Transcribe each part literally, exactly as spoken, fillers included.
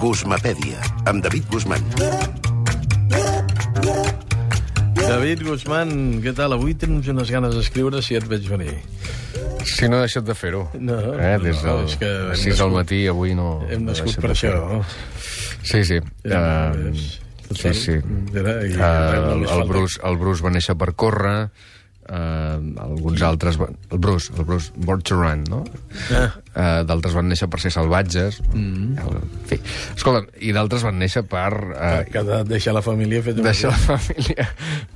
Guzmapèdia, amb David Guzmán. David Guzmán, què tal? Avui tens unes ganes d'escriure si et veig venir. Si no he deixat de fer-ho. No, eh? Des no, del és que hem sis del nascut- matí, avui no... Hem no he nascut deixat per de això. fer-ho. No? Sí, sí. Ja, Uh, és- sí, sí. Mira, i Uh, res, no li el, falta. Bruce, el Bruce va néixer per córrer, uh, alguns altres... va- El Bruce, el Bruce, Born to Run, no? Ah. Uh, d'altres van néixer per ser salvatges. Mm. En fi. Escolta, i d'altres van néixer per... Uh, Que ha de deixar la família fet un... deixar la família...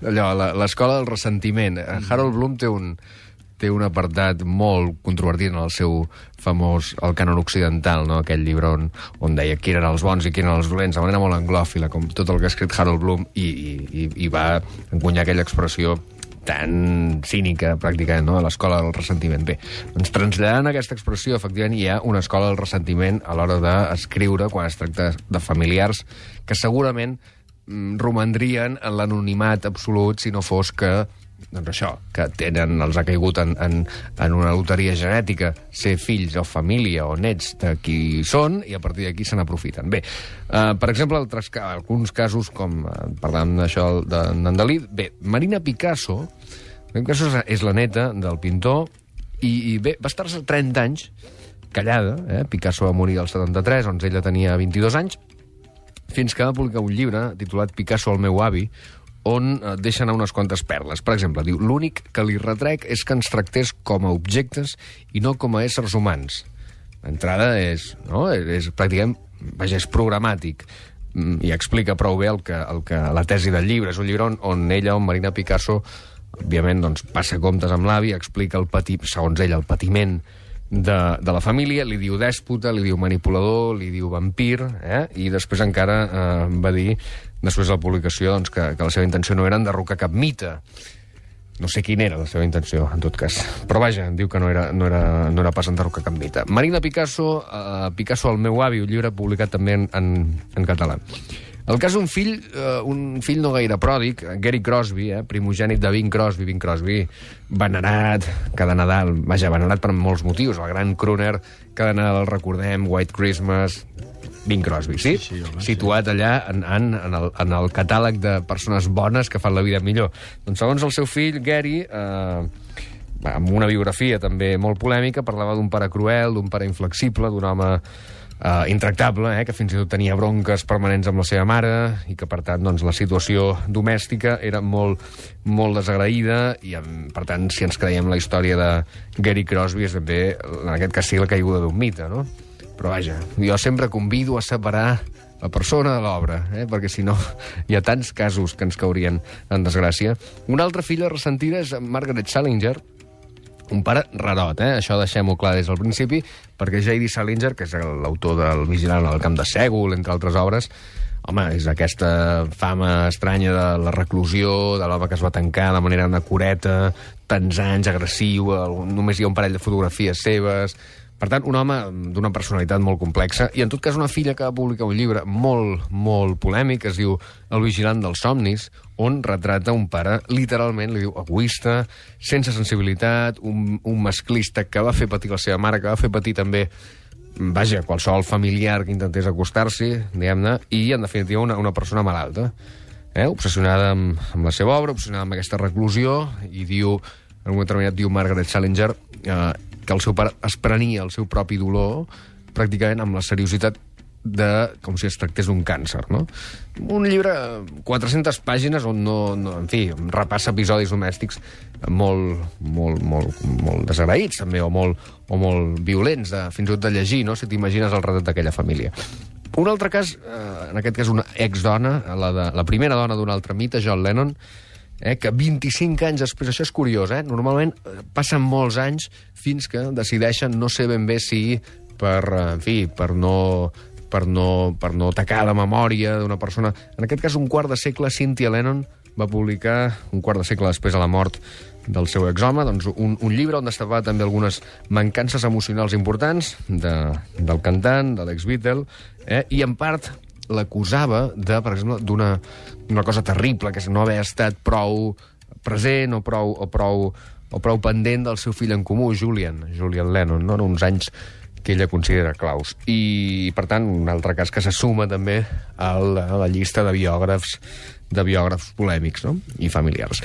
Allò, la- l'escola del ressentiment. Mm. Harold Bloom té un, té un apartat molt controvertit en el seu famós El cànon occidental, no? Aquell llibre on, on deia qui eren els bons i qui eren els dolents, de manera molt anglòfila, com tot el que ha escrit Harold Bloom, i, i, i, i va encunyar aquella expressió tan cínica, pràcticament, no? De l'escola del ressentiment. Bé, doncs traslladant aquesta expressió, efectivament, hi ha una escola del ressentiment a l'hora d'escriure quan es tracta de familiars que segurament mm, romandrien en l'anonimat absolut si no fos que, doncs això, que tenen, els ha caigut en, en, en una loteria genètica ser fills o família o nets de qui són, i a partir d'aquí se n'aprofiten. Bé, eh, per exemple, altres, ca- alguns casos, com eh, parlàvem d'això de Nandalí, bé, Marina Picasso, Marina Picasso és, és la neta del pintor, i, i bé, va estar-se trenta anys callada, eh? Picasso va morir al setanta-tres, on ella tenia vint-i-dos anys, fins que va publicar un llibre titulat Picasso, el meu avi, on eh, deixa anar unes quantes perles. Per exemple, diu, l'únic que li retrec és que ens tractés com a objectes i no com a éssers humans. L'entrada és, no? és, és pràcticament, vaja, és programàtic, mm, i explica prou bé el que, el que, la tesi del llibre. És un llibre on, on ella, on Marina Picasso, òbviament, doncs, passa comptes amb l'avi, explica el pati, segons ella, el patiment de, de la família, li diu dèspota, li diu manipulador, li diu vampir, eh? I després encara eh, va dir, després de la publicació, doncs, que, que la seva intenció no era enderrocar cap mite. No sé quina era la seva intenció, en tot cas. Però vaja, diu que no era, no era, no era pas enderrocar cap mite. Marina Picasso, eh, Picasso, el meu avi, un llibre publicat també en, en, en català. El cas d'un fill, eh, un fill no gaire pròdig, Gary Crosby, eh, primogènit de Bing Crosby, Bing Crosby, venerat cada Nadal, vaja, venerat per molts motius, el gran crooner, cada Nadal el recordem, White Christmas, Bing Crosby, sí? Sí, sí, home, Situat allà en, en, en, el, en el catàleg de persones bones que fan la vida millor. Doncs segons el seu fill, Gary, eh, amb una biografia també molt polèmica, parlava d'un pare cruel, d'un pare inflexible, d'un home Uh, intractable, eh, que fins i tot tenia bronques permanents amb la seva mare i que, per tant, doncs, la situació domèstica era molt, molt desagraïda i, per tant, si ens creiem la història de Gary Crosby, és també, en aquest cas, sí, la caiguda d'un mite, no? Però, vaja, jo sempre convido a separar la persona de l'obra, eh, perquè, si no, hi ha tants casos que ens caurien en desgràcia. Una altra filla ressentida és Margaret Salinger, un pare rarot, eh? Això deixem-ho clar des del principi, perquè J D Salinger, que és l'autor del Vigilant al camp de Sègol, entre altres obres, home, és aquesta fama estranya de la reclusió, de l'home que es va tancar de manera anacureta, tants anys, agressiu, només hi ha un parell de fotografies seves. Per tant, un home d'una personalitat molt complexa, i en tot cas una filla que va publicar un llibre molt, molt polèmic, que es diu El vigilant dels somnis, on retrata un pare, literalment, li diu, egoista, sense sensibilitat, un, un masclista que va fer patir la seva mare, que va fer patir també, vaja, qualsevol familiar que intentés acostar-s'hi, diguem-ne, i, en definitiva, una, una persona malalta, eh? Obsessionada amb, amb la seva obra, obsessionada amb aquesta reclusió, i diu, en un determinat diu Margaret Salinger, eh, que el seu pare es prenia el seu propi dolor pràcticament amb la seriositat de, com si es tractés d'un càncer, no? Un llibre, quatre-centes pàgines, on no, no, en fi, repassa episodis domèstics molt, molt, molt, molt desagraïts, també, o molt, o molt violents, de, fins i tot de llegir, no?, si t'imagines el retrat d'aquella família. Un altre cas, eh, en aquest cas una exdona, la, de, la primera dona d'un altre mite, John Lennon, Eh, que vint-i-cinc anys després, això és curiós, eh? Normalment eh, passen molts anys fins que decideixen no sé ben bé si per, eh, en fi, per no, per no, per no tacar la memòria d'una persona. En aquest cas, un quart de segle, Cynthia Lennon va publicar, un quart de segle després de la mort del seu exhome, doncs un, un llibre on destapava també algunes mancances emocionals importants de, del cantant, de l'ex-Beatle, eh? I en part l'acusava de, per exemple, d'una una cosa terrible, que és no haver estat prou present o prou, o prou, o prou pendent del seu fill en comú, Julian, Julian Lennon, no? Uns anys que ella considera claus. I, per tant, un altre cas que se suma també a la, a la llista de biògrafs, de biògrafs polèmics, no?, i familiars.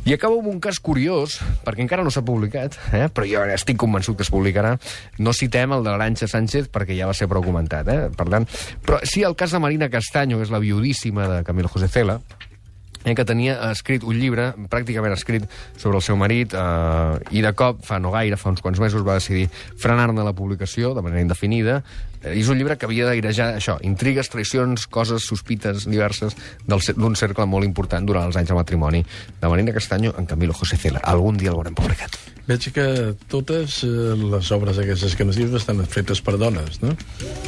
I acabo amb un cas curiós, perquè encara no s'ha publicat, eh? però jo estic convençut que es publicarà. No citem el de l'Arantxa Sánchez perquè ja va ser prou comentat. Eh? Per tant, però sí el cas de Marina Castaño, que és la viudíssima de Camilo José Cela, eh, que tenia escrit un llibre, pràcticament escrit sobre el seu marit, eh, i de cop, fa no gaire, fa uns quants mesos, va decidir frenar-ne la publicació de manera indefinida. Eh, és un llibre que havia d'airejar això, intrigues, traïcions, coses, sospites diverses d'un cercle molt important durant els anys de matrimoni de Marina Castaño en Camilo José Cela. Algun dia l'haurem publicat. Veig que totes eh, les obres aquestes que ens dius estan fetes per dones, no?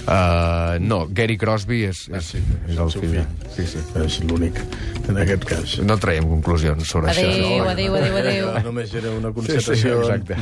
Uh, no, Gary Crosby és, és, Ah, sí, és el fill. Sí, sí. És l'únic, en aquest cas. No traiem conclusions sobre Adéu, això. adéu, adéu, adéu. Només era una Sí, sí, constatació. exacte.